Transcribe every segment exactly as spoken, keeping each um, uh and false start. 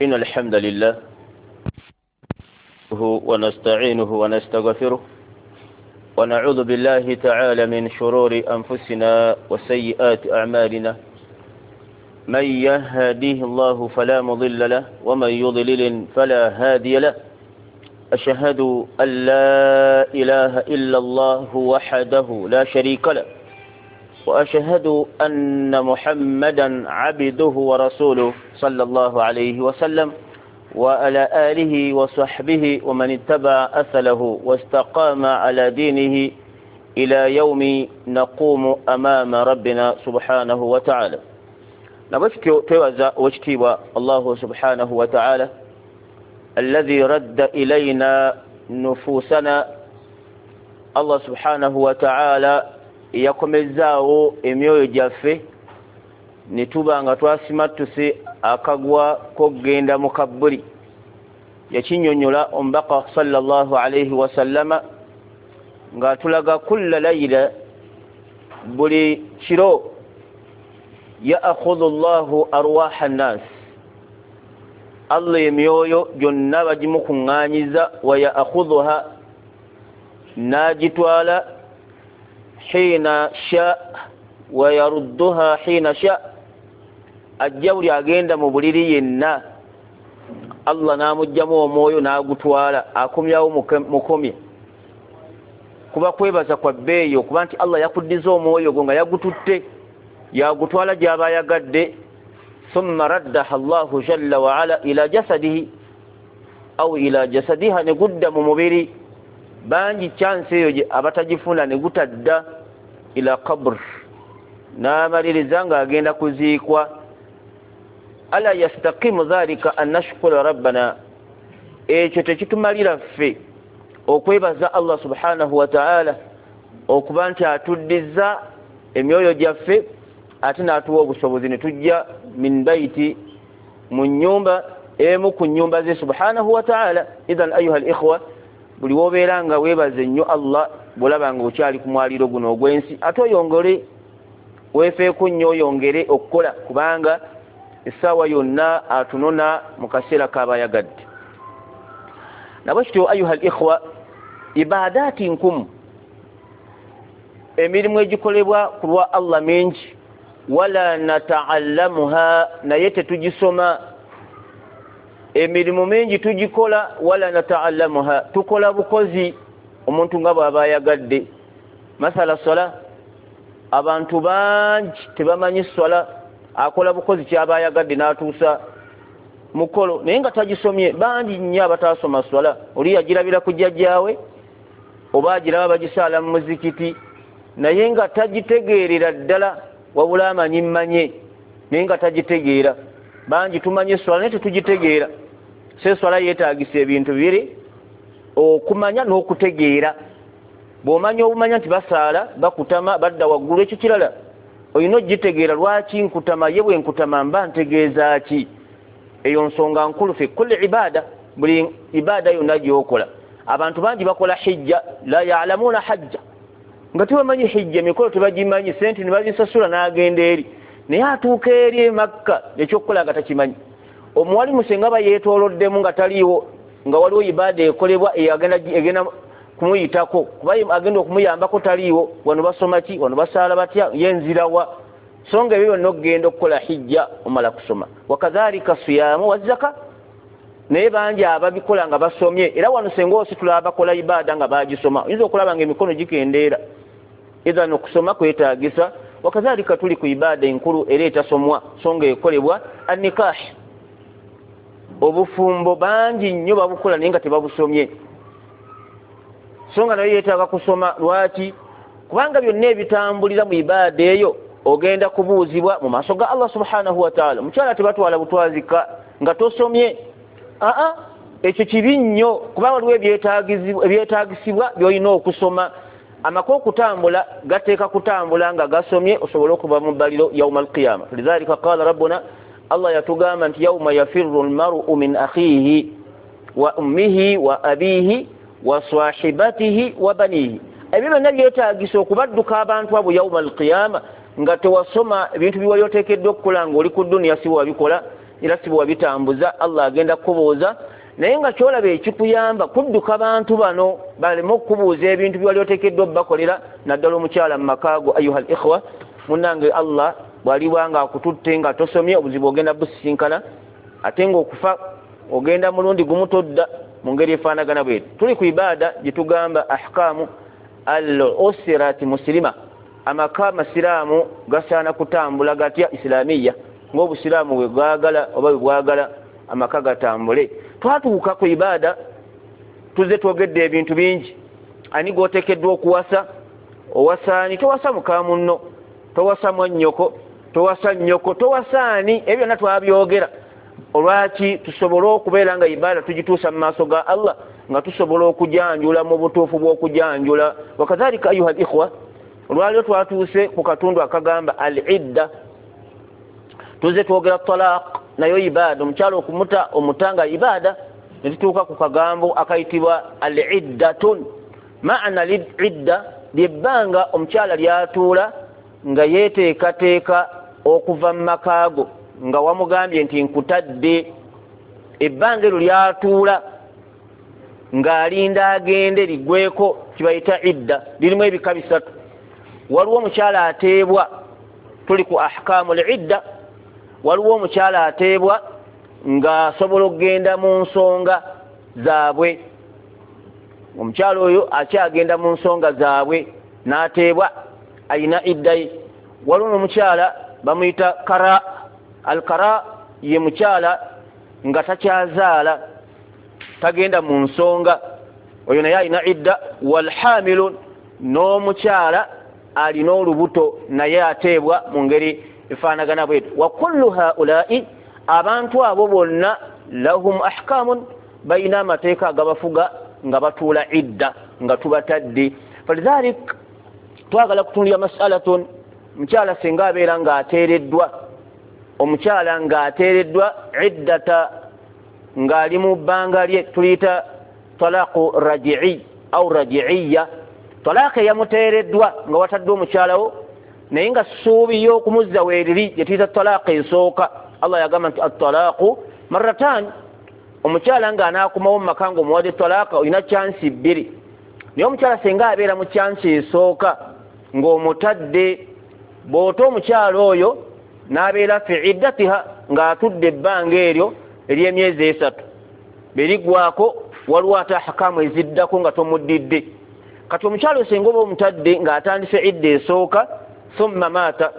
إن الحمد لله ونستعينه ونستغفره ونعوذ بالله تعالى من شرور أنفسنا وسيئات أعمالنا، من يهديه الله فلا مضل له ومن يضلل فلا هادي له. أشهد أن لا إله إلا الله وحده لا شريك له، وأشهد أن محمدا عبده ورسوله صلى الله عليه وسلم وعلى آله وصحبه ومن اتبع أثله واستقام على دينه إلى يوم نقوم أمام ربنا سبحانه وتعالى. نبشتو توزع واشتيوى الله سبحانه وتعالى الذي رد إلينا نفوسنا. الله سبحانه وتعالى yakomezaawo emyoyo gyaffe ne tuba nga twasimattuse akagwa k'okugenda mu kabbuli. Yakinnyonnyola omubaka sallallahu alayhi wasallama ng'atulaga kulla layila, buli kiro, ya'khudhu Allahu arwaha nnaas, Allah emyoyo gyonna bagimukuŋŋaanyiza, wa ya'khudhuha, n'agitwala, hina sha wa yarudduha hina sha, ajja buli agenda mu buliri yenna Allah n'amugjamu omwoyo n'agutwala, akomyawo mukomye. Kuba kwebaza kwa bbeeyi okuba nti Allah yakuddiza omwoyo gwo nga yagututte, yagutwala gy'aba ayagadde. Thumma raddaha Allahu jalla wa ala ila jasadihi au ila jasadiha, ne gudda mu mubiri. Bangi chance eyo abatagifuna ne gutadda ila qabr, n'amaliriza ng'agenda kuziikwa. Ala yastaqimu dhalika an nashkura rabbana, ekyo tekitumalira ffe okwebaza Allah subhanahu wa ta'ala okuba nti atuddiza emyoyo gyaffe ate n'atuwa obusobozi ne tujja min baiti, mu nnyumba emu ku nnyumba ze subhanahu wa ta'ala. Idhan ayuha al-ikhwa, buli wobeera nga weebaze nnyo Allah bw'olaba nga okyali ku mwaliro guno ogw'ensi, ate oyongere weefeeko nnyo, oyongere okukola, kubanga essaawa yonna atunona mu kaseera k'aba ayagadde. Nabwe kityo ayuha al-ikhwa, ibaadaati nkumu, emirimu egikolebwa ku lwa Allah mingi, wala nata'allamuha, naye tetugisoma. Emirimu mingi tugikola, wala nata'allamuha, tukola bukozi omuntu nga bw'aba ayagadde. Masala swala, abantu bangi tebamanyi swala, akola bukozi ky'aba ayagadde n'atuusa mukolo naye nga tagisomye. Bangi nnyo abataasoma swala, oli yagirabira ku jjajjaawe oba agiraba bagisaala mu muzikiti naye nga tagitegeerera ddala, wabula amanyi mmanye naye nga tagitegeera. Bangi tumanyi swala naye tetugitegeera. So eswala yeetaagisa ebintu bibiri, okumanya n'okutegeera. Bw'omanya obumanya nti basaala, bakutama, badda waggulu, ekyo kirala olina ogitegeera. Lwaki nkutama? Ye bwe nkutama mba ntegeeza ki? Eyo nsonga nkulu fi kulli ibaada, buli ibaada yonna gy'okola. Abantu bangi bakola hijja, la ya'lamuuna hajja, nga tebamanyi hijja, emikolo tebagimanyi, sente ne bazisasula n'agenda eri, naye atuuka eri e Makka ekyokukola nga takimanyi. Omuwalimu senga aba yeetooloddemu nga taliiwo, nga waliwo ibaada ekolebwa egenda kumuyitako, kuba agenda okumuyambako taliiwo, wano basoma ki, wano basaala batya, ye nzirawa. So nga ebyo byonna okugenda okukola hijja omala kusoma. Wakadhalika siyaamu wa zaka, naye bangi ababikola nga basomye. Era wano senga ositula abakola ibaada nga bagisoma, oyinza okulaba nga emikono gikendeera. Idhan okusoma kwetaagisa. Wakadhalika tuli ku ibaada enkulu era etasomwa so nga ekolebwa, annikah, obufumbo bangi nnyo babukola naye nga tebabusomye, so nga nayo yeetaaga kusoma. Lwaki? Kubanga byonna ebitambulira mu ibaada eyo ogenda kubuuzibwa mu maaso ga Allah subhanahu wa ta'ala. Mukyala tebatwala butwazika nga tosomye, aa ekyo kibi nnyo, kubanga waliwo ebyetaagisibwa by'olina okusoma. Amaka okutambula gateeka kutambula nga gasomye osobole okuva mu bbaliro yauma alqiyama. Lidhalika qala rabbuna, Allah yatugamba nti yauma yafirru almar'u min akhihi wa ummihi wa abihi wa sahibatihi wa banihi. Ebyo byonna byetaagisa okubadduka abantu abo yauma alqiyama nga tewasoma ebintu byewali oteekeddwa okukola ng'oli ku duniya si wabikola. Era si bwewabitambuza, Allah agenda kukubuuza. Naye nga kyolaba ekikuyamba kudduka bantu bano baleme okukubuuza ebintu byewali oteekeddwa obbakolera, naddala omukyala mu makaago. Ayuha al ikhwa, munnange, Allah bw'aliba nga akututte nga tosomye, obuzibu ogenda busisinkana, ate ng'okufa ogenda mulundi gumu, todda. Mu ngeri efaanagana bwetu, tuli ku ibaada gye tugamba ahkaamu al usirati musilima. Amaka amasiraamu gasaana kutambula gatya? Islamiya, ng'obusiraamu bwe bwagala oba bwe bwagala amaka gatambule. Twatuuka ku ibaada, tuzze twogedde ebintu bingi. Ani gwoteekeddwa okuwasa? Owasaani? Towasa muka munno, towasa mwannyoko, towasa nnyoko, towasaani. Ebyo byonna twabyogera. Olwaki? Tusobole okubeera nga ibaada tugituusa mu maaso ga Allah, nga tusobola okujanjula mu butuufu bw'okujanjula. Wakadhalika, ayuha al ikhwa, olwaliro twatuuse ku katundu akagamba al idda. Tuze twogera talaq, nayo ibaada, omukyala okumuta, omutanga ibaada. Netutuuka ku kagambo akayitibwa al iddatun. Maana idda lyebbanga omukyala lyatuula nga yeteekateeka okuva mu makaago nga wamugambye nti nkutadde. Ebbanga eryo lyatuula ng'alinda agende liggweko, kibayita idda. Lirimu ebika bisatu. Waliwo omukyala ateebwa, tuli ku ahkaamu l idda. Waliwo omukyala ateebwa ng'asobola okugenda mu nsonga zaabwe. Omukyala oyo akyagenda mu nsonga zaabwe n'ateebwa, ayina idda ye. Waliwo n'omukyala bamuyita kara. Alkara ye mukyala nga takyazaala, tagenda mu nsonga, oyo naye alina idda. Walhamilun, n'omukyala alina olubuto naye ateebwa mu ngeri efaanagana bwetu. Wa kullu haulai, abantu abo bonna, lahum ahkamun, balina amateeka agabafuga nga batuula idda nga tubatadde. Falidhalik twagala kutundira masalatun mukyala singa abeera ng'ateereddwa, omukyala ng'ateereddwa iddata ng'ali mu bbanga lye tuliyita talaqu rajii au rajiiya, talaaka eyamuteereddwa nga watadde omukyalawo naye nga ssuubi y'okumuzza weeriri, gye tuyita talaaka esooka. Allah yagamba nti attalaqu marratan. Omukyala ng'anaakomawo mu maka ng'omuwadde talaaka, olina chance bbiri. Naye omukyala singa abeera mu chance esooka ng'omutadde, bw'ota omukyala oyo n'abeera fi iddatiha ng'atudde ebbanga eryo ery'emyezi esatu, beriggwako waliwo ate ahakamu eziddako nga tomuddidde. Kati omukyala osenga oba omutadde ng'atandise idda esooka, thumma maata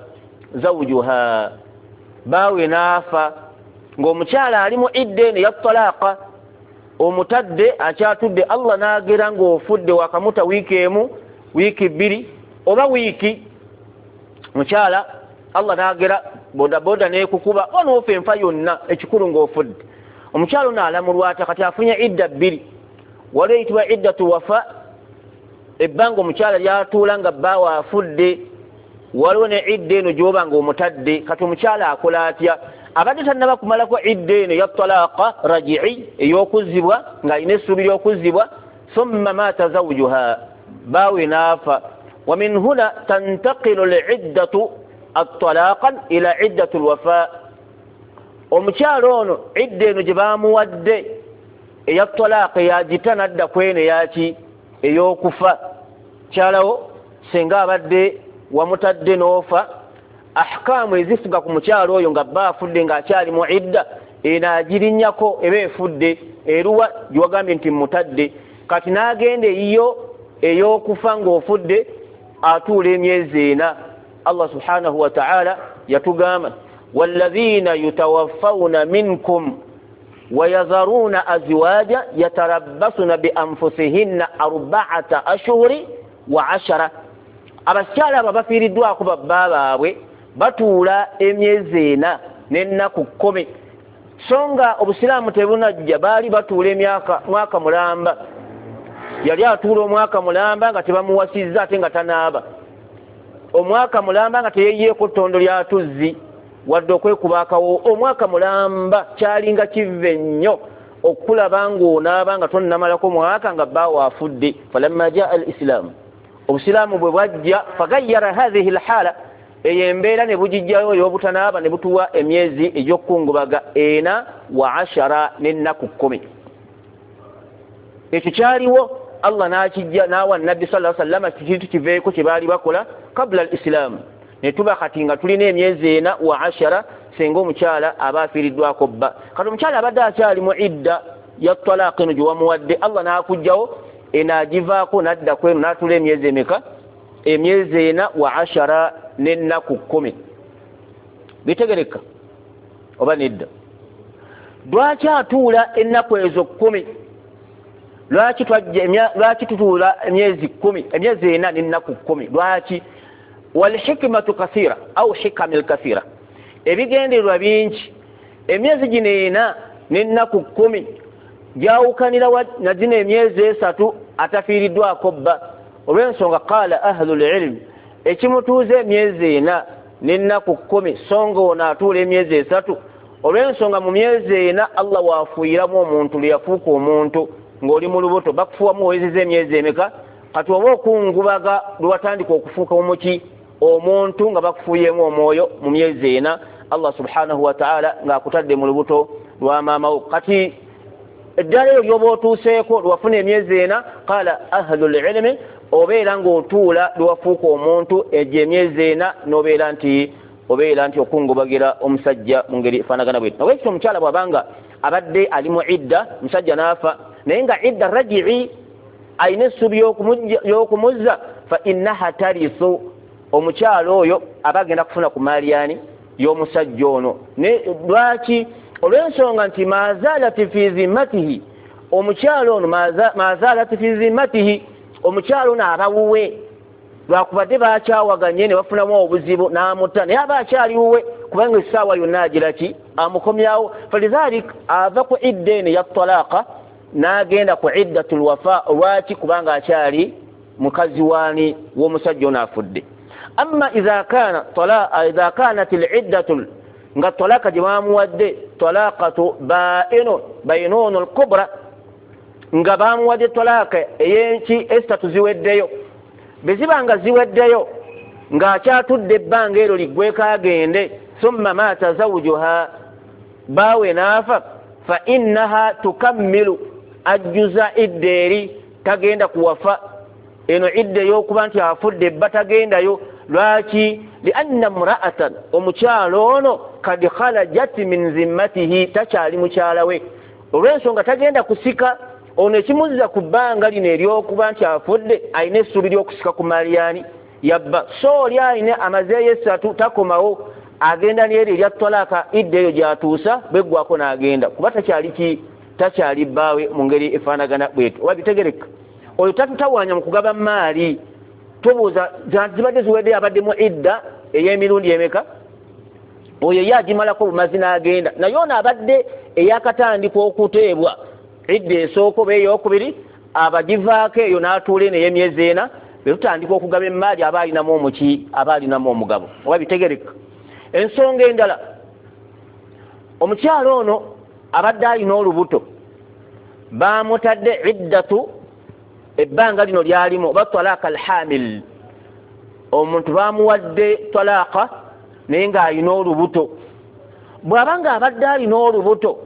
zawujuha, baawe n'afa ng'omukyala ali mu idda eno eya talaaka, omutadde akyatudde, Allah n'agera ng'ofudde, wakamuta wiiki emu, wiiki bbiri oba wiiki, mukyala Allah n'agera bodaboda n'ekukuba oba n'ofa enfa yonna, ekikulu ng'ofudde. Omukyala ono alamulwa atya? Kati afunye idda bbiri. Waliwo eyitibwa iddatu wafa, ebbanga omukyala lyatuula nga bbaawe afudde. Waliwo ne idda eno gy'oba nga omutadde. Kati omukyala akola atya? Abadde tannaba kumalako idda eno eya talaaka rajii, ey'okuzzibwa, ng'alina essuubi ly'okuzzibwa. Thumma maata zawujuha, baawe n'afa. Wa min huna tantaqilu liddatu atalaqan ila iddatu lwafa. Omukyala ono idda eno gye bamuwadde eya talaaka yagita nadda kweno eyaki? Ey'okufa. Kyalawo singa abadde wamutadde n'ofa, ahkaamu ezifuga ku mukyalo oyo nga bba afudde ng'akyali mu idda eno agirinnyako, eba efudde eruwa gyewagambye nti mutadde. Kati n'agenda eyiyo ey'okufa ng'ofudde, atuula emyezi ena. Allah subhanahu wa taala yatugamba, walladhina yutawaffawna minkum wayadharuna azwaja yatarabbasuna bianfusihinna arbaata ashhuri wa ashara. Abakyala abo bafiiriddwako babba baabwe batuula emyezi ena n'ennaku kkumi. So nga obusiraamu tebunajja, baali batuula emyaka mwaka mulamba. Yali atuula omwaka mulamba nga tebamuwasizza, ate nga tanaaba, omwaka mulamba nga teyeyiyeeko ttondo lya tuzzi wadde okwekuba akawo. Omwaka mulamba kyalinga kive nnyo okulaba ng'onaaba nga tonnamalako mwaka nga bbaawo afudde. Falamma jaa al islaamu, obusiraamu bwe bwajja, fagayyara hathihi lhala. Eyo embeera ne bugijjayo ey'obutanaaba ne butuwa emyezi egy'okukungubaga ena wa ashara n'ennaku kkumi. Ekyo kyaliwo Allah n'akijja n'awa Nabbi sallallahu alaihi wasallam kintu kiveeko kye baali bakola kabla al-Islam. Ne tuba kati nga tulina emyezi ena wa ashara singa omukyala aba afiiriddwako bba. Kati omukyala abadde akyali mu idda ya talaaka eno gye wamuwadde, Allah n'akugjawo eno agivaako n'adda ku eno n'atuula emyezi emeka? Emyezi ena wa ashara n'ennaku kkumi. Bitegereka oba nedda? Lwaki atuula ennaku ezo kkumi? Lwaki twajja lwaki tutuula emyezi kkumi, emyezi ena n'ennaku kkumi? Lwaki? Walhikmatu kathira au hikamil kathira, ebigendererwa bingi. Emyezi gino ena n'ennaku kkumi gyawukanira na gino emyezi esatu atafiiriddwako bba. Olw'ensonga qaala ahlul ilm, ekimutuuza emyezi ena n'ennaku kkumi so nga ono atuula emyezi esatu, olw'ensonga mu myezi ena Allah waafuuyiramu omuntu lwe yafuuka omuntu ng'oli mu lubuto, bakufuuwamu owezezza emyezi emeka? Kati oba okungubaga lwe watandika okufuuka omuki omuntu nga bakufuuyeemu omwoyo mu myezi ena Allah subhanahu wa ta'ala ng'akutadde mu lubuto lwa maama wo. Kati eddala eryo ly'oba otuuseeko lwewafuna emyezi ena, qaala ahlul ilmi, obeera ng'otuula lwewafuuka omuntu egyo emyezi ena n'obeera nti obeera nti okungubagira omusajja mu ngeri efaanagana bwetyo. Nabwekityo omukyala bw'abanga abadde ali mu idda, omusajja n'afa naye nga idda raji'i alina essuubi y'okumuzza, fa innaha tarisu, omukyala oyo aba agenda kufuna ku maali yani y'omusajja ono. Lwaki? Olw'ensonga nti maazalati fi zimmatihi, omukyala ono maazalati fi zimmatihi, omukyala ono aba wuwe, lwakubadde bakyawaganye ne bafunamu obuzibu n'amutta, naye aba akyali wuwe kubanga essaawa yonna agira ki amukomyawo. Falidhalik ava ku idda eno eya talaaka n'agenda ku iddatul wafa. Lwaki? Kubanga akyali mukazi waani w'omusajja ono afudde. Amma idha kana talaa idha kanat al-iddatu, nga talaka gye bamuwadde talaqatu bainun bainun al-kubra, nga bamuwadde talaka ey'enki esatu ziweddeyo, bwe ziba nga ziweddeyo ng'akyatudde ebbanga eryo liggweko agende, thumma mata zawjuha, baawe n'afa, fa innaha tukammilu, ajjuza idda eri, tagenda kuwafa. Eno idda ey'okuba nti afudde ebba tagendayo. Lwaki? Lianna mra'atan, omukyala ono kad kharajat min zimmatihi, takyali mukyala we, olw'ensonga tagenda kusika. Ono ekimuzza ku bbanga lino ery'okuba nti afudde alina essuubi ly'okusika ku maliyani yabba. So oli alina amazeeyo esatu takomawo, agenda n'eryo erya talaka, idda eyo gy'atuusa bweggwako n'agenda, kuba takyali ki takyali bbaawe mu ngeri efaanagana bwetyo. Oba bitegereka? Oyo tatutawaanya mu kugaba maali, tubuuza zibadde ziweddeyo abadde mu idda ey'emirundi emeka, oyo ye agimalako bumazi n'agenda. Naye ono abadde eyakatandika okuteebwa idda esooka oba ey'okubiri, abagivaako eyo n'atuula eno ey'emyezi ena, bwe tutandika okugaba emmaali aba alinamu omuki aba alinamu omugabo. Oba bitegereka? Ensonga endala, omukyala ono abadde alina olubuto, bamutadde iddatu ebbanga lino lyalimu oba talaka alhamil, omuntu bamuwadde talaka naye ng'alina olubuto. Bw'aba ng'abadde alina olubuto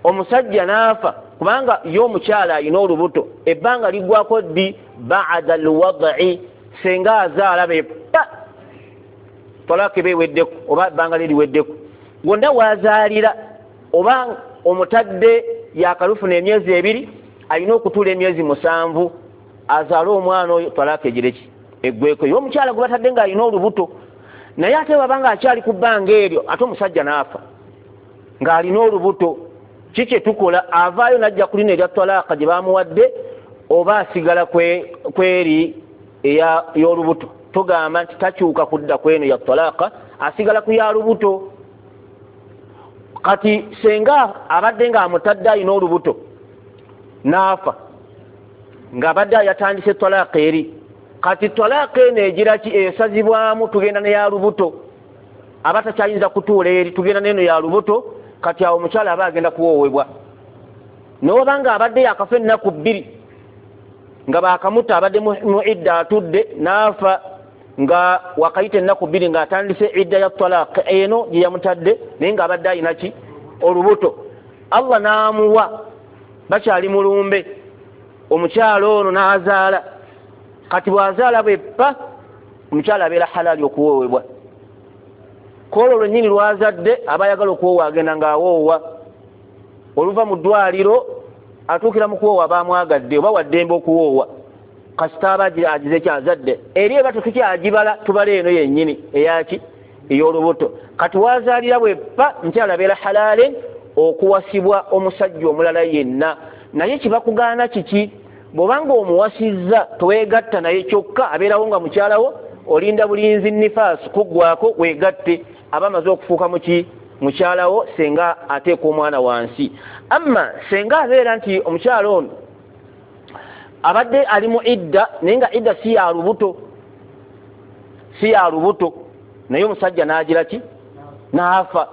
omusajja n'afa, kubanga ye omukyala alina olubuto, ebbanga liggwako ddi? Ba'da alwad'i, singa azaala be pa talaka eba eweddeko oba ebbanga lye liweddeko, wonna w'azaalira oba omutadde yakalufuna emyezi ebiri, alina okutuula emyezi musanvu azaale omwana oyo, talaka egireki eggweko. Ye omukyala gwe batadde ng'alina olubuto, naye ate bw'aba ng'akyali ku bbanga eryo ate omusajja n'afa ng'alina olubuto, ki kye tukola? Avaayo n'ajja ku lino erya talaka gye bamuwadde oba asigala kweri ey'olubuto? Tugamba nti takyuka kudda kweno ya talaka, asigala ku ya lubuto. Kati senga abadde ng'amutadde alina olubuto n'afa ng'abadde yatandise talaka eri, kati talaka eno egira ki? Esazibwamu, tugenda ne ya lubuto, aba takyayinza kutuula eri, tugenda n'eno ya lubuto. Kati awo omukyala aba agenda kuwoowebwa. N'oba ng'abadde yakafa ennaku bbiri nga baakamutta, abadde mu idda atudde n'afa, Nga wakayita ennaku bbiri ng'atandise idda ya talaq eno gye yamutadde, naye ng'abadde alina ki? Olubuto. Allah n'amuwa, bakyali mulumbe, omukyala ono n'azaala. Kati bw'azaala bweppa, omukyala abeera halaali okuwoowebwa. Kwolwo lwennyini lwazadde aba ayagala okuwoowa, agenda ng'awoowa. Oluva mu ddwaliro atuukira mu kuwoowa bamwagadde oba waddembe okuwoowa, kasita aba agize kyazadde. Eri eba tetukyagibala, tubala eno yennyini eyaki? Ey'olubuto. Kati wazaalira bweppa, mukyala abeera halaali okuwasibwa omusajja omulala yenna. Naye kibakugaana kiki? Bw'obanga omuwasizza toweegatta naye, kyokka abeerawo nga mukyalawo, olinda bulinzi nifaasi kuggwako weegatte, aba amaze okufuuka muki? Mukyalawo, senga ateeka omwana wansi. Amma senga abeera nti omukyala ono abadde ali mu idda, naye nga idda si ya lubuto, si ya lubuto, naye omusajja n'agira ki? N'afa.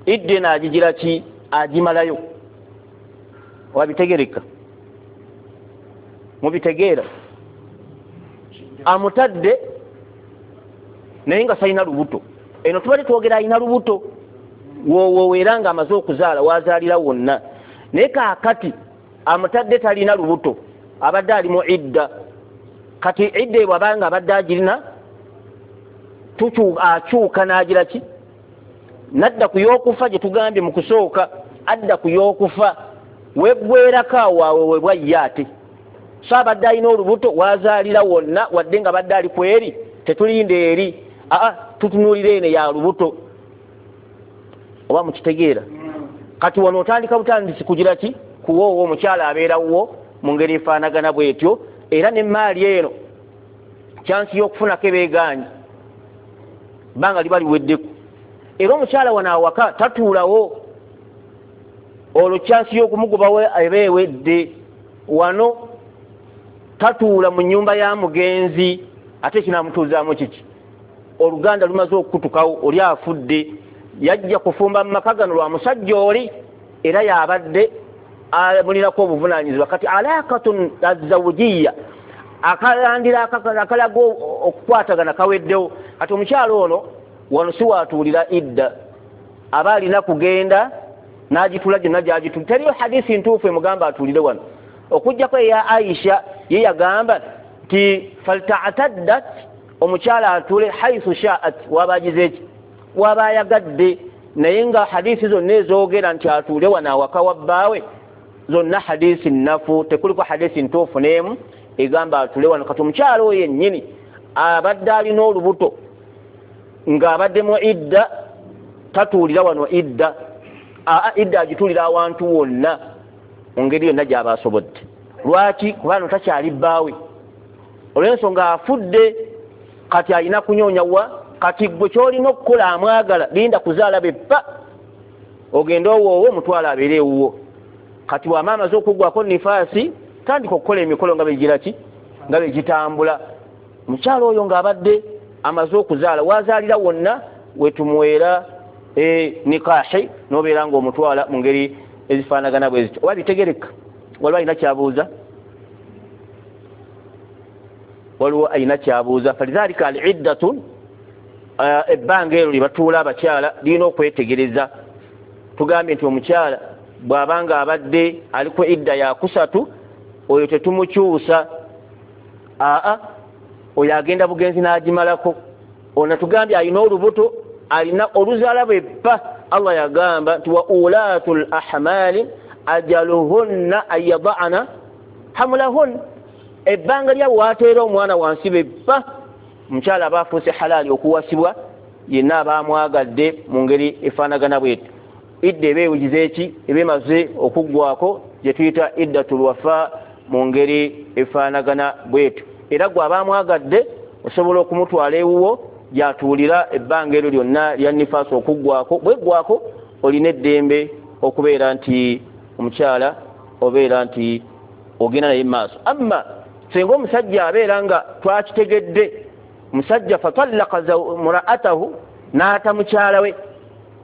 Idda eno agigira ki? Agimalayo. Wabitegereka? Mubitegeera? Amutadde naye nga salina lubuto. Eno tubadde twogera alina lubuto woowoera nga amaze okuzaala, wazaalira wonna. Naye kaakati amutadde talina lubuto, abadde ali mu idda. Kati idda ebwo abanga abadde agirina, akyuka n'agira ki? Nadda ku y'okufa gye tugambye mu kusooka, adda ku y'okufa. Weggwerako awo awewebwa ye ate. So abadde alina olubuto wazaalira wonna, wadde nga badde ali ku eri, tetulinda eri, aa tutunuulira eno ya lubuto. Oba mukitegeera? Kati wano otandika butandisi kugira ki? Kuwoowa. Omukyala abeerawo mu ngeri efaanagana bwetyo, era n'emmaali eno kyansi y'okufunako ebeegaanyi, bbanga liba liweddeko. Era omukyala wano awaka tatuulawo, olwo kyansi y'okumugobawo eba ewedde. Wano tatuula mu nnyumba ya mugenzi, ate kinaamutuuzaamu kiki? Oluganda lumaze okukutukawo, oli afudde, yajja kufumba mu maka gano lwa musajja oli, era yabadde amulinako obuvunaanyizibwa. Kati alaqatun azawujiya, akalandira akalaga okukwatagana kaweddewo. Kati omukyala ono wano si watuulira idda, aba alina kugenda n'agitula gyonna gy'agitula. Teriyo hadisi ntuufu emugamba atuulire wano, okuggyako eya Aisha, ye yagamba nti faltataddat, omukyala atuule haithu sha'at, waba agize ki? Waba ayagadde. Naye nga hadisi zonna ezoogera nti atuule wano awaka wa bbaawe zonna hadisi nnafu, tekuliko hadisi ntuufu n'emu egamba atuule wano. Kati omukyala oyo yennyini abadde alina olubuto ng'abadde mu idda, tatuulira wano idda, aa idda agituulira awantu wonna mu ngeri yonna gy'aba asobodde. Lwaki? Kubanga takyali bbaawe, olw'ensonga afudde, kati alina kunyoonya wa. Kati gwe ky'olina okukola amwagala, linda kuzaala beppa, ogende owoowo omutwalo abeere ewuwo. Kati bw'ama amaze okuggwako nifaasi, tandika okukola emikolo nga begira ki? Nga begitambula. Omukyala oyo ng'abadde amaze okuzaala, wazaalira wonna wetumuweera e nikahi, n'obeera ng'omutwala mu ngeri ezifaanagana bwe zityo. Oba bitegereka? Waliwo alina kyabuuza? Waliwo alina kyabuuza? Falidhalika al iddatu, ebbanga eryo lye batuula abakyala lirina okwetegereza. Tugambye nti omukyala bw'abanga abadde aliko idda yakusatu, oyo tetumukyusa, aa oyo agenda bugenzi n'agimalako. Ono tugambye alina olubuto, alina oluzaala bweppa. Allah yagamba nti wa ulatul ahmali ajaluhunna an yada'na hamulahun, ebbanga lyabwe wateera omwana wansi beppa, omukyala aba afuuse halaali okuwasibwa yenna aba amwagadde mu ngeri efaanagana bwetyo. Idda eba ewugize ki? Eba emaze okuggwako, gye tuyita iddatul wafa mu ngeri efaanagana bwetyo. Era gwe aba amwagadde osobola okumutwala ewuwo gy'atuulira ebbanga eryo lyonna lya nifaasi okuggwako. Bweggwako olina eddembe okubeera nti omukyala obeera nti ogenda naye maaso. Amma singa omusajja abeera nga twakitegedde, musajja fatallaka muraatahu, n'ata mukyala we,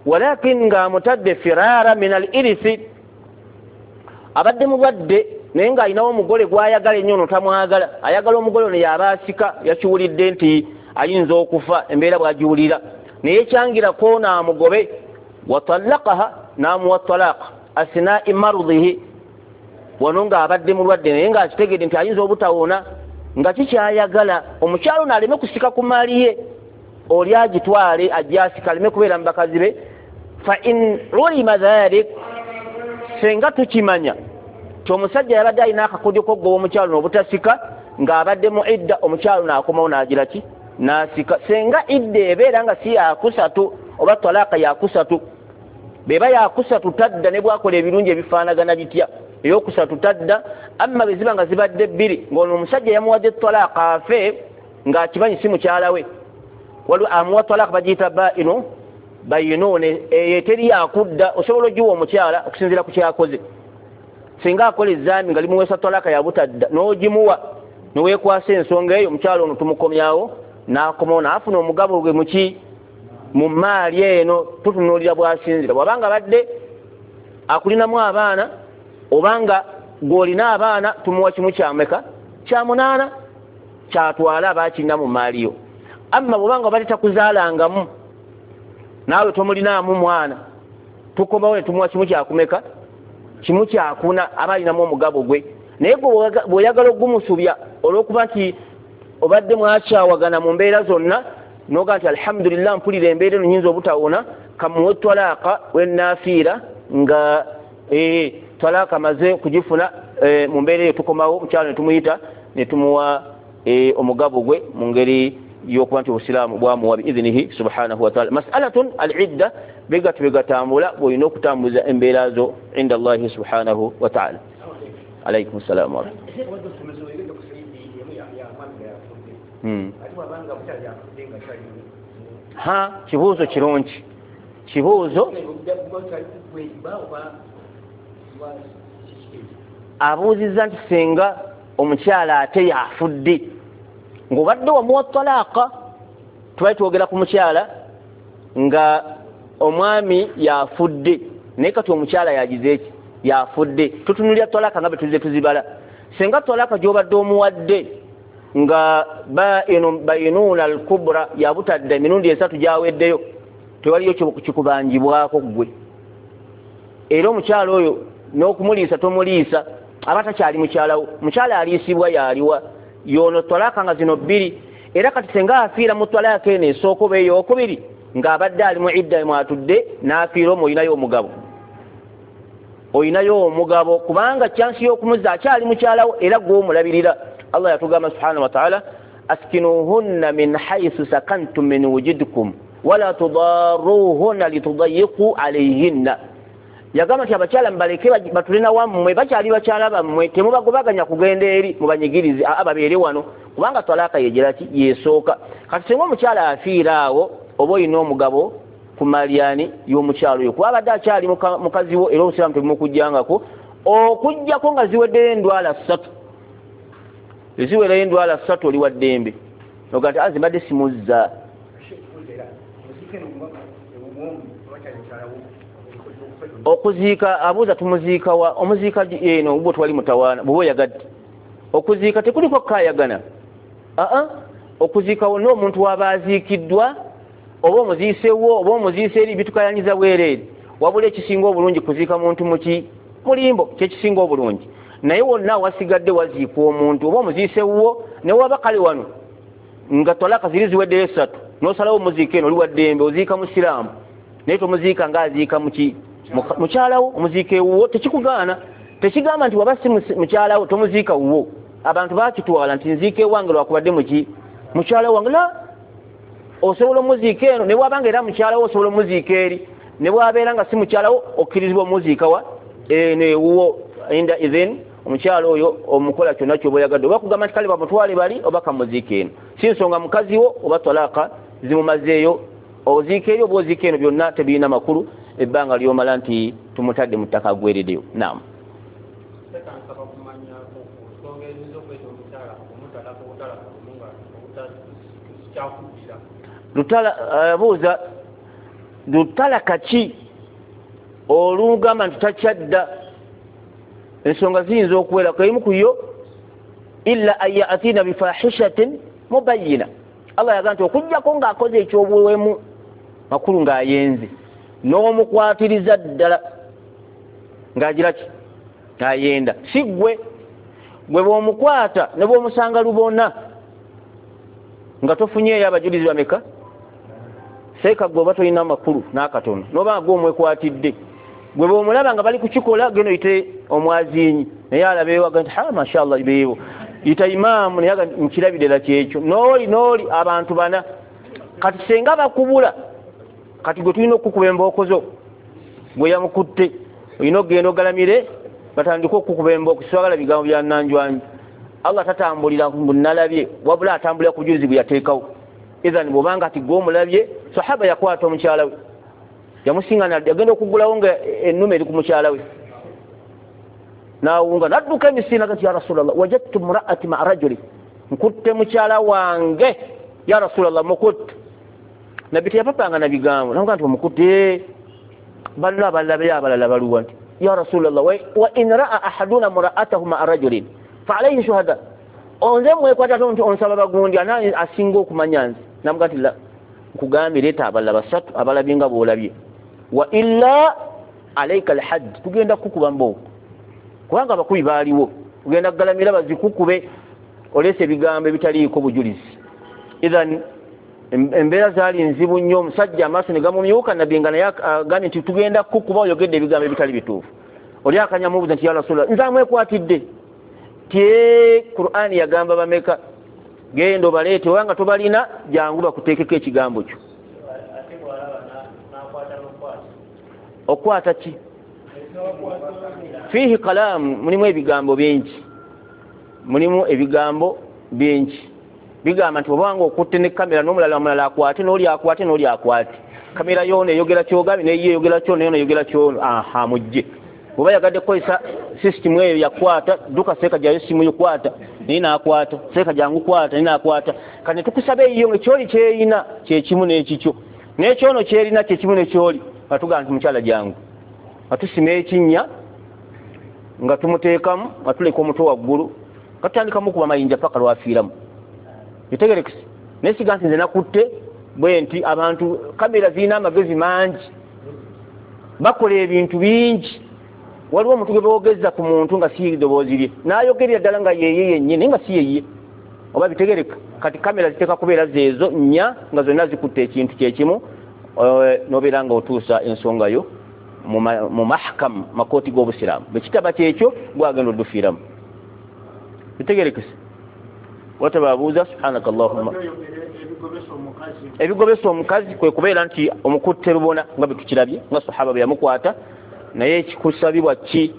walakin ng'amutadde firaara min al irisi, abadde mulwadde naye ng'alinawo omugole gw'ayagala ennyo, ono tamwagala, ayagala omugole ono y'aba asika, yakiwulidde nti Ayinza okufa embeera bw'agiwulira naye kyangirako n'amugobe. Watallaqaha, n'amuwa talaqa asinai marudhihi, wano ng'abadde mulwadde naye ng'akitegedde nti ayinza obutawona, nga kikyayagala omukyalo n'aleme kusika ku maali ye, oli agitwale ajje asika aleme kubeera mu bakazi be. Fa in ulima dhalik, senga tukimanya nti omusajja yabadde alina akakodyo k'okugoba omukyalo n'obutasika ng'abadde mu idda, omukyalo n'akomawo n'agira ki? N'asika. Senga idda ebeera nga si yakusatu oba talaka yakusatu, beba yakusatu tadda ne bwakola ebirungi ebifaanagana bitya, eyokusatu tadda. Amma bwe ziba nga zibadde bbiri ng'ono omusajja yamuwadde talaka afe ng'akimanyi si mukyala we, waliwo amuwa talaka bagiyita baino bayinone, eyo teri yakudda, osobola ogiwa omukyala okusinziira ku kyakoze. Singa akola ezambi nga limuweesa talaka yabutadda n'ogimuwa neweekwasa ensonga eyo, omukyala ono tumukomyawo n'akomawo n'afuna omugabo gwe muki mu maali eno. Tutunuulira bw'asinzira, bw'abanga badde akulinamu abaana obanga gw'olina abaana tumuwa kimu kyameka kya munaana kyatwala aba akirina mu maali yo. Amma bw'obanga obadde takuzaalangamu naawe tomulinaamu mwana, tukomawo ne tumuwa kimu kyakumeka kimu kyakuna aba alinamu omugabo gwe. Naye gwe bw'oyagala ogumusubya olw'okuba nti obadde mwakyawagana mu mbeera zonna, noga nti alhamdulillah mpulira embeera eno nyinza obutawona, kamuwe talaka wenaafiira nga eh, talaka maze kugifuna eh, mu mbeera eyo tukomawo omukyalo ne tumuyita ne tumuwa eh, omugabo gwe mu ngeri y'okuba nti obusiraamu bwamuwa biidhinihi subhanahu wa taala. Masalatun al-idda bigatu bigatambula bw'olina okutambuza embeera zo inda Allahi subhanahu wa taala. Alaikum salaam wa Hmm. Ha, kibuuzo kirungi, kibuuzo abuuzizza nti singa omukyala ate yafudde ng'obadde wamuwa talaaka, tubali twogera ku mukyala nga omwami yafudde naye kati omukyala yagize eki yafudde, tutunulira talaaka nga bwe tuzze tuzibala. Singa talaaka gy'obadde omuwadde nga bayinuuna al-kubra yabutadde emirundi esatu gyaweddeyo, tewaliyo kikubanjibwako ggwe, era omukyala oyo n'okumuliisa tomuliisa, aba takyali mukyalawo. Mukyala aliisibwa yaliwa yono talaka nga zino bbiri. Era kati singa afiira mu talaka eno esooka oba eyokubiri ng'abadde ali mu idda mwatudde n'afiira omwo, olinayo omugabo, olinayo omugabo kubanga kyansi y'okumuzza akyali mukyalawo era gwe omulabirira. Allah yatugamba subhanahu wa ta'ala, askinuhunna min haythu sakantum min wujudikum wala tudarruhunna litudayiqu alayhinna. Yagamba nti abakyala mubaleke batulina wammwe, bakyali bakyala bammwe, temubagobaganya kugenda eri mubanyigirize, ababeere wano, kubanga talaka yegira ki yesooka. Kati singa omukyala afiira awo oba olina omugabo ku malyani y'omukyalo oyo, kuba abadde akyali mukazi wo era obusiraamu tebumukujjangako okujjako nga ziweddeyo endwala ssatu. Eziwerayo endwala ssatu oli wa ddembe oga nti azi mbadde simuzza. Okuziika abuuza tumuziika wa? Omuziika eno obwo twali mutawaana bw'oba oyagadde okuziika tekuliko kkaayagana. Aa, okuziika wonna omuntu waba aziikiddwa oba omuziisewo oba omuziise eri bitukayanyiza bwereere. Wabula ekisinga obulungi kuziika muntu muki mulimbo, kyekisinga obulungi. Naye wonna wasigadde waziikwa omuntu oba omuziisewwo ne waba kale wano nga talaka ziri ziweddeyo esatu n'osalawo omuziika eno oli wa ddembe, oziika musiraamu naye tomuziika ng'aziika muki mukyalawo, omuziika ewuwo tekikugaana. Tekigamba nti waba si mukyalawo tomuziika wuwo. Abantu bakitwala nti nziika ewange lwakubadde muki mukyala wange, la osobola omuziika eno ne bwabanga era mukyalawo osobola omuziika eri, ne bwabeera nga si mukyalawo okkirizibwa omuziika wa eno ewuwo. Inda idhin omukyala oyo omukola kyonna ky'oba oyagadde, oba kugamba nti kale bamutwale bali oba kamuziika eno, si nsonga mukazi wo oba talaka zimumazeeyo, oziika eri oba oziika eno, byonna tebirina makulu ebbanga lyomala nti tumutadde mu ttaka aggwereddeyo. Naam. Lutala abuuza lutalaka ki olugamba nti takyadda? Ensonga ziyinza okuwerako, emu ku yo illa an yatina bifahishatin mubayina, Allah yagamba nti okujjako ng'akoze ekyobuwemu makulu ng'ayenze n'omukwatiriza ddala ng'agira ki ng'ayenda si ggwe gwe bw'omukwata ne bw'omusanga lubona nga tofunyeeyo abajulizi bameka seeka gwe oba tolina makulu n'akatono n'oba gwe omwekwatidde gwe bw'omulaba nga bali kukikola genda oyite omwazinyi naye alabeewo agamba nti ha mashallah beewo yita imaamu naye agamba nkirabire ddala kyekyo n'oli n'oli abantu bana kati senga bakubula kati gwe tulina okukuba embooko zo gwe yamukutte olina okugenda ogalamire batandike okukuba embooko siwagala bigambo bya nanjwanju Allah tatambulira nalabye wabula atambulira ku bujulizi bwe yateekawo idhan bw'obanga ati gwe omulabye sahaba yakwata omukyala we yamusingana agenda okuggulawo nga ennume eri ku mukyala we n'awunga n'adduka emisinde agati ya Rasulallah wajadtu mraati maa rajuli nkutte mukyala wange ya Rasulallah mukutte nabbi teyapapanga na bigambo namugaa nti omukutte banno abalala abalala baluwa nti ya Rasulallah wa in raa ahaduna mraatahu maa rajulin fa alayhi shuhada onze mwekwata nti onsaba bagundi ana asinga okumanya nze namugaa nti la nkugambye leeta abalala basatu abalabye nga bw'olabye wa illa alayka alhadd tugenda kukuba mbooko kubanga abakubi baaliwo ogenda kugalamira bazikukube oleese ebigambo ebitaliiko bujulizi idhan embeera zaali nzibu nnyo omusajja amaaso ne gamumyuka nabbi nga naye agambye nti tugenda kukuba oyogedde ebigambo ebitali bituufu oli akanyamubuuza nti ya Rasulallah nze amwekwatidde tye Qur'ani yagamba bameka genda obaleete obanga tobalina jangu bakuteekeko ekigambo kyo okwata ki fiihi kalaamu mulimu ebigambo bingi mulimu ebigambo bingi bigamba nti obanga okutte ne kamera n'omulala omulala akwate n'oli akwate n'oli akwate kamera yoona eyogera kyogambye neyo eyogera kyono yoona eyogera kyono aha mujje bw'oba yagadde kukozesa sisitimu eyo yakwata dduka seeka gyayo simu yo kwata naye n'akwata seeka jangu kwata naye n'akwata kati ne tukusaba eyiyo nga ekyoli kyerina kyekimu n'ekikyo n'ekyono kyerina kyekimu n'ekyoli nga tugamba nti mukyala jangu nga tusima ekinnya nga tumuteekamu nga tuleka omutwe waggulu nga tutandikamu okuba mayinja paka lwafiiramu bitegerekese naye siga nti nze nakutte bwe nti abantu kamera zirina amagezi mangi bakola ebintu bingi waliwo omuntu gwe boogeza ku muntu nga si ddoboozi lye n'ayogerera ddala nga yeye yennyini naye nga si yeye oba bitegereka kati kamera ziteeka kubeera zeezo nnya nga zonna zikutte ekintu kyekimu n'obeera nga otuusa ensonga yo mu mahakamu makooti g'obusiraamu bwe kitaba kyekyo gwagenda oddufiiramu bitegerekese watababuuza subhanaka allahumma ebigobesa omukazi kwe kubeera nti omukutte lubona nga bwe tukirabye nga sahaba bwe yamukwata naye ekikusabibwa ki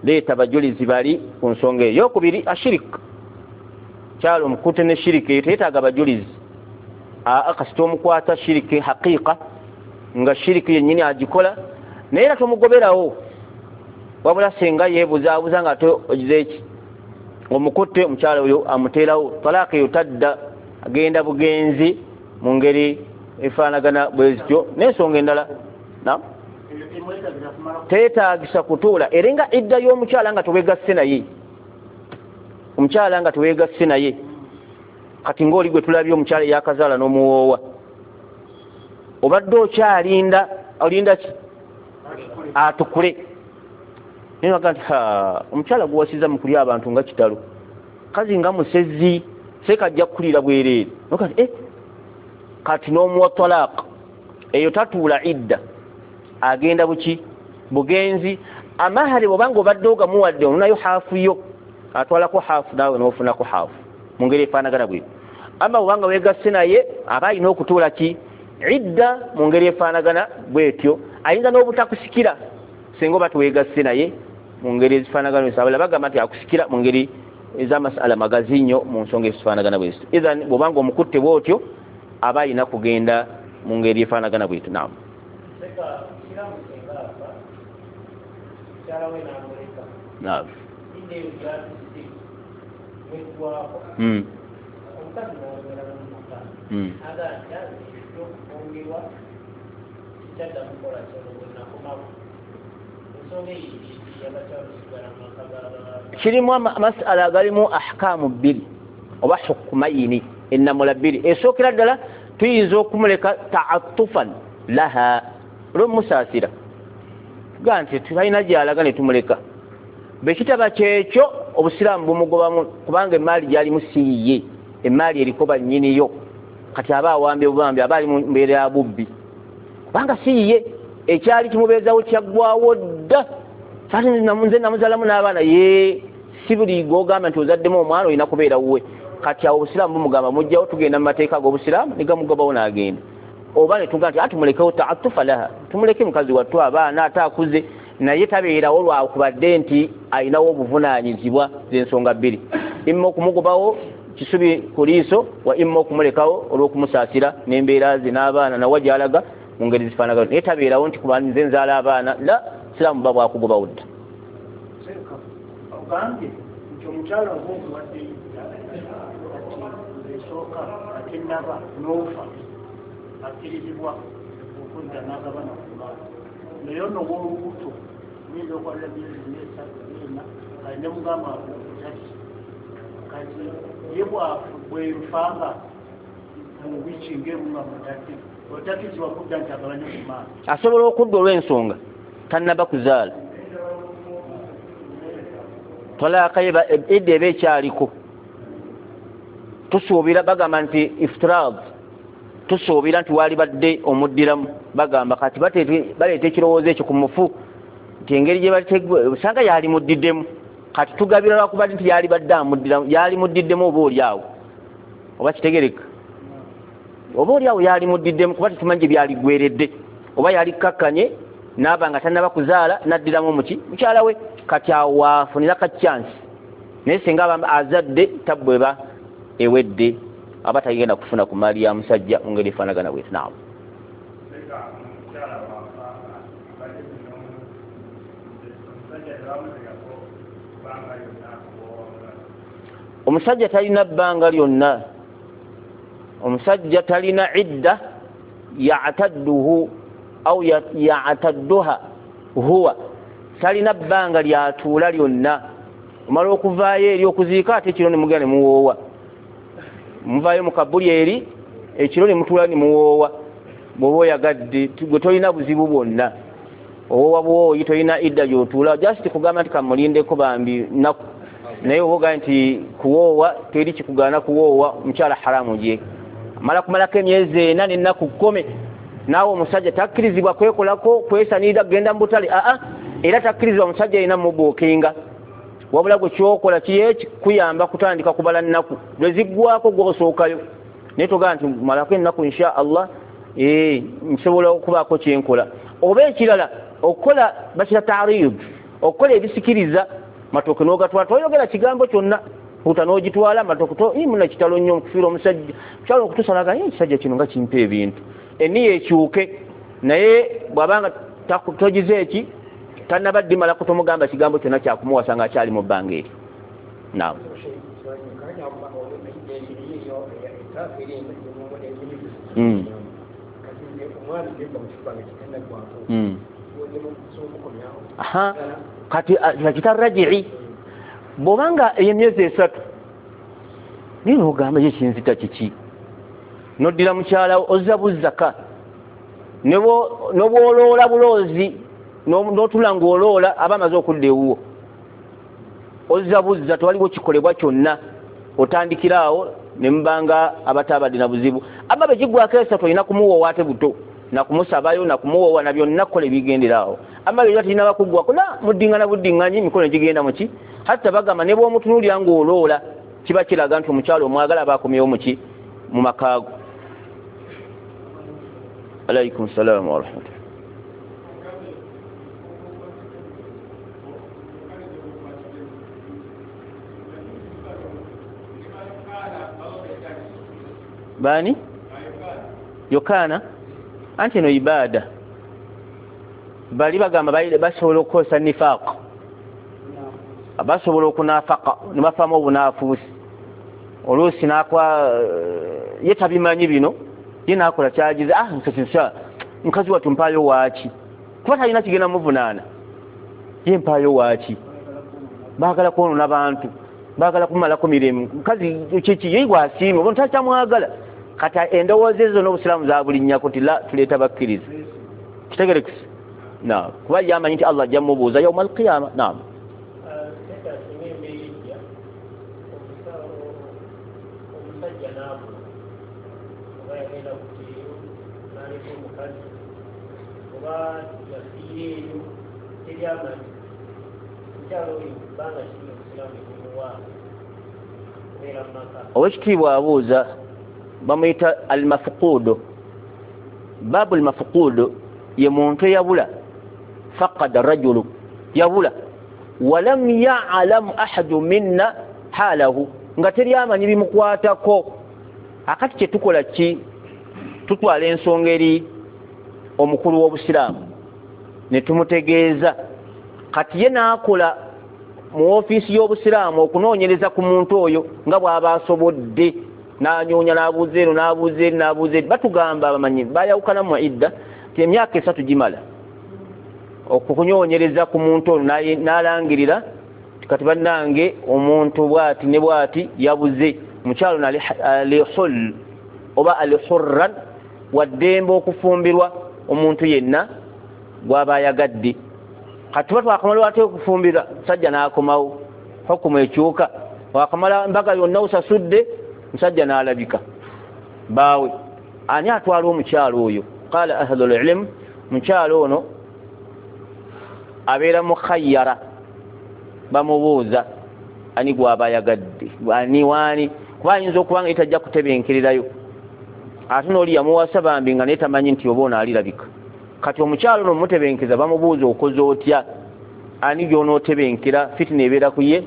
leeta bajulizi bali ku nsonga eyo eyokubiri ashirik kyalo omukutte ne shiriki eyo teyeetaaga bajulizi aa kasita omukwata shiriki haqiqa nga shiriki yennyini agikola naye era tomugoberawo wabula senga yeebuzaabuza nga ate ogize eki omukutte omukyala oyo amuteerawo talaaka eyo tadda agenda bugenzi mu ngeri efaanagana bwe zityo n'ensonga endala na teetaagisa kutuula era nga idda y'omukyala nga teweegasse naye omukyala nga teweegasse naye kati ng'oli gwe tulabye omukyala eyakazaala n'omuwoowa obadde okyalinda olinda ki atukule naye baga nti omukyala gwewasiza mu kulya abantu nga kitalo kazi nga musezi seeka ajja kukulira bwereere nokati eh kati n'omuwa talaaka eyo tatuula idda agenda buki bugenzi amahari bw'obanga obadde ogamuwadde onunayo haafu yo atwalako haafu naawe n'ofunako haafu mu ngeri efaanagana bwetyo ama bw'obanga weegasse naye aba alina okutuula ki idda mu ngeri efaanagana bwetyo ayinza n'obutakusikira singa oba teweegasse naye mu ngeri ezifaanagana bwetyo abalala bagamba nti akusikira mu ngeri ez'amasala magazi nnyo mu nsonga ezifaanagana bwezityo idhan bw'obanga omukutte bw'otyo aba alina kugenda mu ngeri efaanagana bwetyo naamu naamu Mm. Mm. Kirimu masala agalimu ahkaamu bbiri oba hukumayini Ennamula bbiri. Esookera ddala tuyinza okumuleka ta'attufan laha, olw'omusaasira, tugaa nti talina gy'alaga ne tumuleka. Bwe kitaba kyekyo obusiraamu bumugobamu, kubanga emaali gy'alimu si yiye, emaali eriko bannyiniyo. Kati aba awambye bubambi, aba ali mu mbeera ya bubbi, kubanga si yiye, ekyali kimubeezawo kyaggwawo dda. Ate nze namuzaalamu n'abaana, ye si buli gw'ogamba nti ozaddemu omwana olina kubeera wuwe. Kati awo obusiraamu bumugamba mujjawo, tugenda mu mateeka ag'obusiraamu ne gamugobawo n'agenda. Oba ne tugamba nti atumulekewo ta'attufa laha, tumuleke mukazi wattu abaana ate akuze, naye tabeerawo lwakubadde nti alinawo obuvunaanyizibwa. Z'ensonga bbiri, imma okumugobawo kisubi ku liiso, wa imma okumulekawo olw'okumusaasira n'embeera ze n'abaana nawa gy'alaga mu ngeri zifaanagana, naye tabeerawo nti kuba nze nzaala abaana la siraamu buba bwakugobawo dda. Ogambye nti omukyala oba omuwadde ati esooka ate naba n'ofa akkirizibwa okudda n'agabana ku baana, naye ono ow'olubuto oyinza okwalira myezi esatu ena kali ne mugamba otati kati ye bwenfanga mu wiiki ng'emu nga mutadde otakkirizibwa kudda nti agabane ku maani. Asobola okudda olw'ensonga tannaba kuzaala, talaaka edda eba ekyaliko, tusuubira bagamba nti iftiraad, tusuubira nti waali badde omuddiramu. Bagamba kati baleeta ekirowoozo ekyo ku mufu nti engeri gye osanga yali muddiddemu, kati tugabira lwakubadde nti yali badde amuddiramu, yali muddiddemu oba oli awo, oba kitegereka, oba oli awo yali muddiddemu kuba tetumanyi gye byaligweredde, oba yali kkakkanye n'aba nga tannaba kuzaala n'addiramu muki mukyala we, kati awo waafunira ka chance. Naye singa aba azadde tabbu eba ewedde, aba tagenda kufuna ku maali ya musajja mu ngeri efaanagana bweti. Naawe omusajja talina bbanga lyonna, omusajja talina idda ya'tadduhu au ya'tadduha huwa, talina bbanga lyatuula lyonna. Omala okuvaayo eri okuziika ate ekiro ne mugenda ne muwoowa, muvaayo mu kabuli eri ekiro ne mutuula ne muwoowa. Bw'oba oyagadde gwe tolina buzibu bwonna, owoowa buwooyi, tolina idda gy'otuula, just kugamba nti kamulindeko bambi nnaku. Naye oba ogaye nti kuwoowa teri kikugaana kuwoowa, mukyala haramu gye amala kumalako emyezi ena n'ennaku kkumi. Naawe omusajja takkirizibwa kwekolako kwesanirira kugenda mu butale, aa era takkirizibwa musajja yenna mubuukinga, wabula gwe kyokola kiye kikuyamba kutandika kubala nnaku lwe ziggwako gw'osookayo. Naye togamba nti malako ennaku insha Allah ee nsobola okubaako kyenkola. Oba ekirala okukola bakira ta'rid, okukola ebisikiriza matooke n'ogatwala, toyogera kigambo kyonna, puta n'ogitwala amatooke to muna kitalo nnyo okufiira omusajja mukyala okutusalaga ekisajja kino nga kimpa ebintu, eniyo ekyuke. Naye bw'abanga togize eki tannaba ddimalako tomugamba kigambo kyonna kyakumuwasa nga akyali mu bbanga eryo. Naawe mm. Mm. Aha, kati bakita raji'i, bw'obanga emyezi esatu naye n'ogamba ye kinzita kiki, n'oddira mukyala wo ozza buzzaka, n'obwoloola buloozi n'otula ng'oloola aba amaze okudda ewuwo, ozza buzza, tewaliwo kikolebwa kyonna, otandikira awo ne mubanga abataabadde na buzibu. Amma bwe kiggwako esatu olina kumuwoowa ate buto, nakumusabayo nakumuwoowa na byonna kukola ebigendera awo. Amma byonna tirinaba kuggwako la muddingana buddinganyi emikono gigenda muki. Hatta bagamba ne bw'omutunuulira ng'oloola kiba kiraga nti omukyala omwagala aba akomyewo muki mu makaago. Alaykum salaamu wa rahmatullah. Baani? Yokaana? Anti eno ibaada. Bali bagamba basobola okukozesa nifaaq, basobola okunaafaka ne bafaamu obunaafuusi. Oluusi n'akwa ye tabimanyi bino, ye n'akola kyagize, ah nsa mukazi wattu mpaayo waaki, kuba talina kigenda muvunaana, ye mpaayo waaki, baagala kwonoona bantu. Baagala kumalako mirembe. Mukazi kiki ye gwasiima oba ntakyamwagala. Kati endowooza ezo n'obusiraamu zabulinnyako nti la tuleeta bakkiriza. Kitegerekese? Naam. Kuba ye amanyi nti Allah ajja mmubuuza yauma alqiyama. Naam. Owekitiibwa abuuza bamuyita almafuqudu. Babu almafuqudu ye muntu eyabula, faqada rajulu, yabula walam ya'lam ahadu minna halahu, nga teri amanyi bimukwatako. Akati kye tukola ki? Tutwala ensonga eri omukulu w'obusiraamu ne tumutegeeza. Kati ye n'akola mu ofiisi y'obusiraamu okunoonyereza ku muntu oyo nga bw'aba asobodde, n'anyoonya n'abuuza eno n'abuuza eri n'abuuza eri. Batugamba abamanyi bayawukana mu idda nti emyaka esatu gimala okukunoonyereza ku muntu ono, n'alangirira kati bannange omuntu bw'ati ne bw'ati yabuze. Mukyalo alihul oba alihurran, waddembe okufumbirwa omuntu yenna gw'aba ayagadde. Kati tuba twakamala ate okufumbirwa, musajja n'akomawo, hukumu ekyuka. Wakamala mbaga yonna osasudde, musajja n'alabika baawe. Ani atwala omukyalo oyo? Qala ahlul ilm, mukyalo ono abeera mukhayyara, bamubuuza ani gw'aba ayagadde, ani waani, kuba ayinza okuba nga ye tajja kutebenkererayo, ate n'oli yamuwasa bambi nga naye tamanyi nti oba ono alirabika. Kati omukyalo ono mutebenkeza bamubuuza okoze otya, ani gy'onootebenkera? Fitina ebeera ku ye,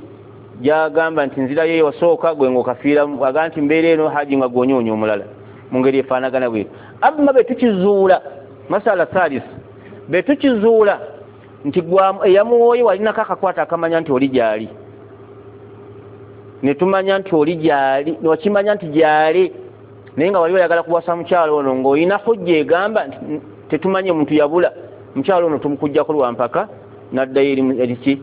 gyagamba nti nzirayo eyasooka gwe ng'okafiiramu, agamba nti mbeera eno haji nga gw'onyoonya omulala, mu ngeri efaanagana bwetyo. Amma be tukizuula, masala thalith, be tukizuula nti eyamuwooye walinako akakwata akamanya nti oli gy'ali, ne tumanya nti oli gy'ali, wakimanya nti gy'ali, naye nga wali oyagala kuwasa mukyalo ono ng'olina hujja egamba nti tetumanye muntu yabula, mukyalo ono tumukuggyako lwa mpaka n'addayo eriki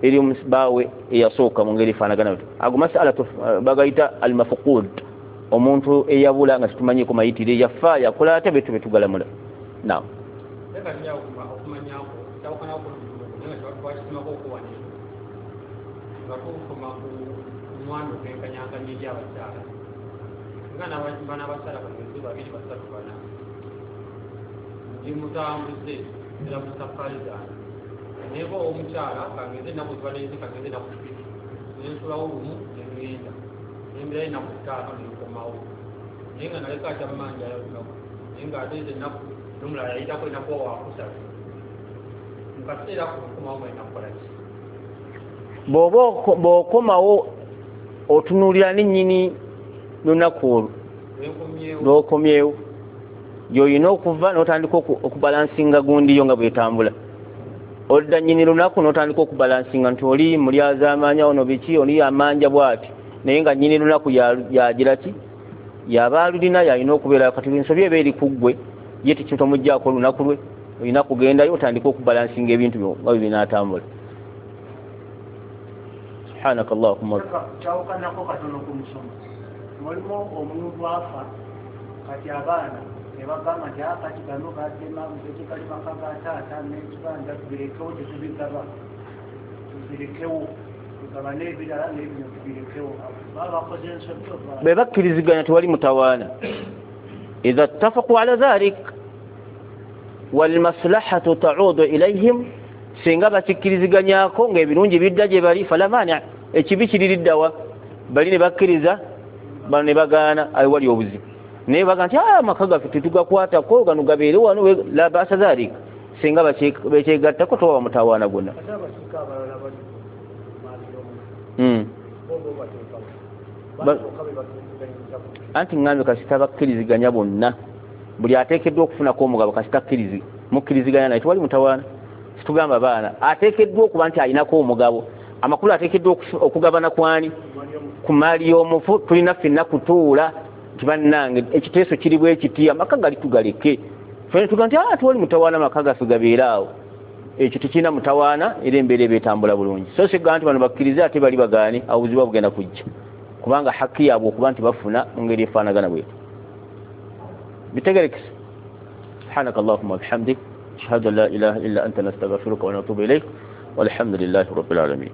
eri baawe eyasooka, mu ngeri efaanagana bwetyo. Ago masala bagayita almafuqud, omuntu eyabula nga tetumanyiiko mayitire, yafa yakola ate betu betugalamula. Naam. Ndi mutambuze era mu safari zange neba omukyala kangeze ennaku zibalenze kangeze ennaku bbiri nensulawo lumu nengenda nemberayo ennaku ttaano nenkomawo, naye nga naleka akyammanjayo olunaku, naye nga ate ezo ennaku n'omulala yayitako ennaku wakusatu mu kaseera ako nkomawo mwalina kukola ki? Bw'oba bw'okomawo otunuulira ne nnyini lunaku olwo lw'okomyewo, gy'olina okuva n'otandika okubalansinga gundiyo nga bwetambula. Odda nnyini lunaku n'otandika okubalansinga nti oli mulyazaamaanya ono biki, oli amanja bw'ati, naye nga nnyini lunaku yagira ki, yaba alulina yalina okubeera. Kati ensobi eba eri ku ggwe, ye tekitomuggyako olunaku lwe, olina kugendayo otandika okubalansinga ebintu byo nga bwe binaatambula. Subhanaka Allahumma. Kyawukanako katono ku musomo. Mulimu omuntu afa kati abaana ne bagamba nti kati gano gadema tekigali maka ga taata n'ekibanja tubirekewo tetubigaba, tubirekewo tugaba n'ebirala n'ebino tubirekewo. Baba bakoze ensobi oba bwe bakkiriziganya tewali mutawaana. Idha ttafaqu ala dhalik walmaslahatu ta'udu ilayhim, singa bakikkiriziganyako ng'ebirungi bidda gye bali, fala mani, ekibi kiririddawa? Bali ne bakkiriza, bano ne bagaana, awo wali obuzibu. Naye baga nti amaka gaffe tetugakwatako, gano gabeere wano, la basa dhalik, singa bakyegattako tewaba mutawaana gwonna. Ate abasika abalala bali Mm. bo bo bateekawo basooka be bakkiriziganyizako. Anti ŋŋambye kasita bakkiriziganya bonna, buli ateekeddwa okufunako omugabo kasita akkirizi mukkiriziganya naye tewali mutawaana. Situgamba baana ateekeddwa okuba nti alinako omugabo, amakulu ateekeddwa okugabana kwani ku maali y'omufu. Tulina ffenna kutuula nti bannange ekiteeso kiri bwe kiti, amaka gali tugaleke. Ffenna tugamba nti ah, tewali mutawaana, amaka gaffe gabeere awo. Ekyo tekirina mutawaana, era embeera eba etambula bulungi. So sigamba nti bano bakkirize ate bali bagaane, awo buzibu bugenda kujja, kubanga haki yaabwe okuba nti bafuna mu ngeri efaanagana bwetyo. Bitegerekese. Subhanaka allahumma bihamdik, ashhadu an la ilaha illa anta, nastaghfiruka wa natubu ilaik, walhamdulillahi rabbil alamin.